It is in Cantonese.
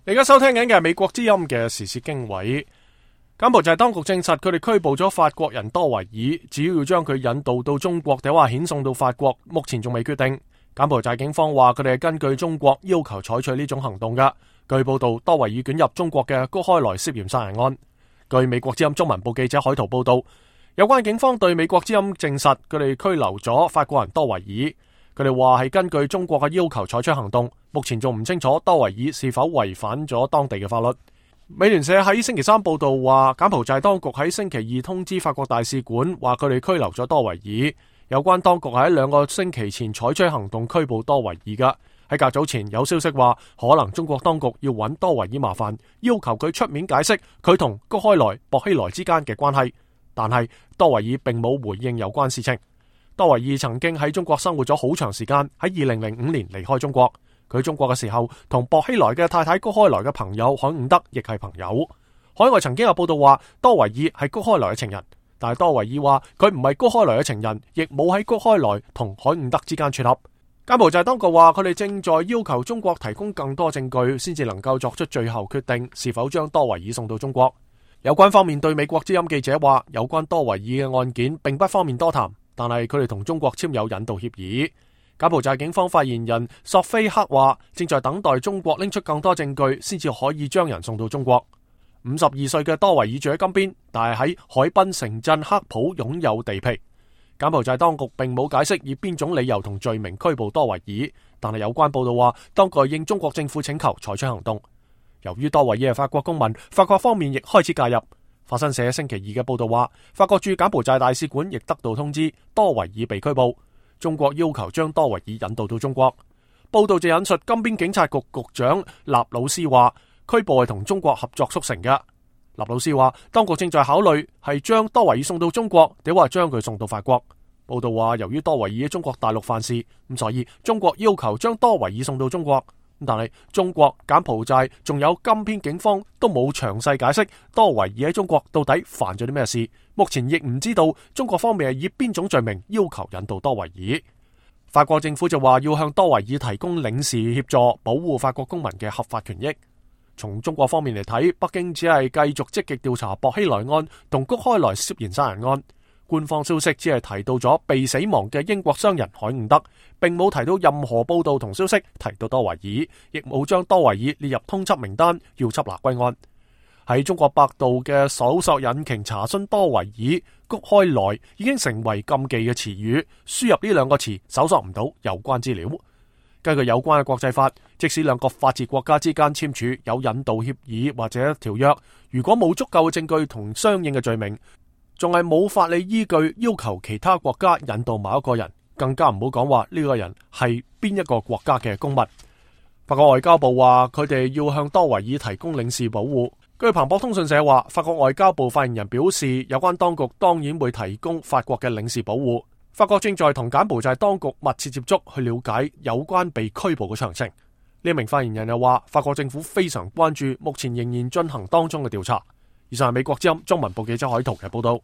你而家收聽緊嘅係美國之音嘅時事經緯。柬埔寨當局證實，佢哋拘捕咗法國人多維爾，只要將佢引渡到中國，定話遣送到法國，目前仲未決定。柬埔寨警方話，佢哋係根據中國要求採取呢種行動㗎。據報道，多維爾捲入中國嘅谷開來涉嫌殺人案。據美國之音中文部記者海圖報道，有關警方對美國之音證實，佢哋拘留咗法國人多維爾。佢哋話係根據中國嘅要求採取行動，目前仲唔清楚多維爾是否違反咗當地嘅法律。美聯社喺星期三報道話，柬埔寨當局喺星期二通知法國大使館，話佢哋拘留咗多維爾。有關當局喺2個星期前採取行動拘捕多維爾噶。喺較早前有消息話，可能中國當局要揾多維爾麻煩，要求佢出面解釋佢同谷開來、薄熙來之間嘅關係。但係多維爾並冇回應有關事情。多維爾曾經喺中國生活咗好長時間，喺2005年離開中國。佢喺中國嘅時候，同薄熙來嘅太太谷開來嘅朋友海伍德亦係朋友。海外曾經有報道話，多維爾係谷開來嘅情人，但係多維爾話佢唔係谷開來嘅情人，亦冇喺谷開來同海伍德之間撮合。柬埔寨當局話，佢哋正在要求中國提供更多證據，先至能夠作出最後決定，是否將多維爾送到中國。有關方面對美國之音記者話，有關多維爾嘅案件並不方便多談，但係佢哋同中國簽有引渡協議。柬埔寨警方發言人索菲克話，正在等待中國拎出更多證據，先至可以將人送到中國。52歲嘅多維爾住喺金邊，但係喺海濱城鎮克普擁有地皮。柬埔寨當局並冇解釋以邊種理由同罪名拘捕多維爾，但係有關報道話，當局應中國政府請求採取行動。由於多維爾係法國公民，法國方面亦開始介入。法新社星期二嘅報道話，法國駐柬埔寨大使館亦得到通知，多維爾被拘捕。中國要求將多維爾引渡到中國。報道就引述金邊警察局局長納魯斯話，拘捕係同中國合作促成嘅。納魯斯話，當局正在考慮係將多維爾送到中國，定話將佢送到法國。報道話，由於多維爾喺中國大陸犯事，咁所以中國要求將多維爾送到中國。但係中國、柬埔寨仲有金邊警方都冇詳細解釋多維爾喺中國到底犯咗啲咩事，目前亦唔知道中國方面係以邊種罪名要求引渡多維爾。法國政府就話要向多維爾提供領事協助，保護法國公民嘅合法權益。從中國方面嚟睇，北京只係繼續積極調查薄熙來案同谷開來涉嫌殺人案。官方消息只係提到咗被死亡嘅英國商人海伍德，並冇提到任何報道同消息提到多維爾，亦冇將多維爾列入通緝名單，要緝拿歸案。喺中國百度嘅搜索引擎查詢多維爾、谷開來已經成為禁忌嘅詞語，輸入呢2個詞搜索唔到有關資料。根據有關嘅國際法，即使2個法治國家之間簽署有引渡協議或者條約，如果冇足夠嘅證據同相應嘅罪名，仲係冇法理依據要求其他國家引渡某一個人，更加唔好講話呢個人係邊一個國家嘅公民。法國外交部話，佢哋要向多維爾提供領事保護。據彭博通訊社話，法國外交部發言人表示，有關當局當然會提供法國嘅領事保護。法國正在同柬埔寨當局密切接觸，去了解有關被拘捕嘅詳情。呢名發言人又話，法國政府非常關注目前仍然進行當中嘅調查。以上係美國之音中文部記者海圖嘅報道。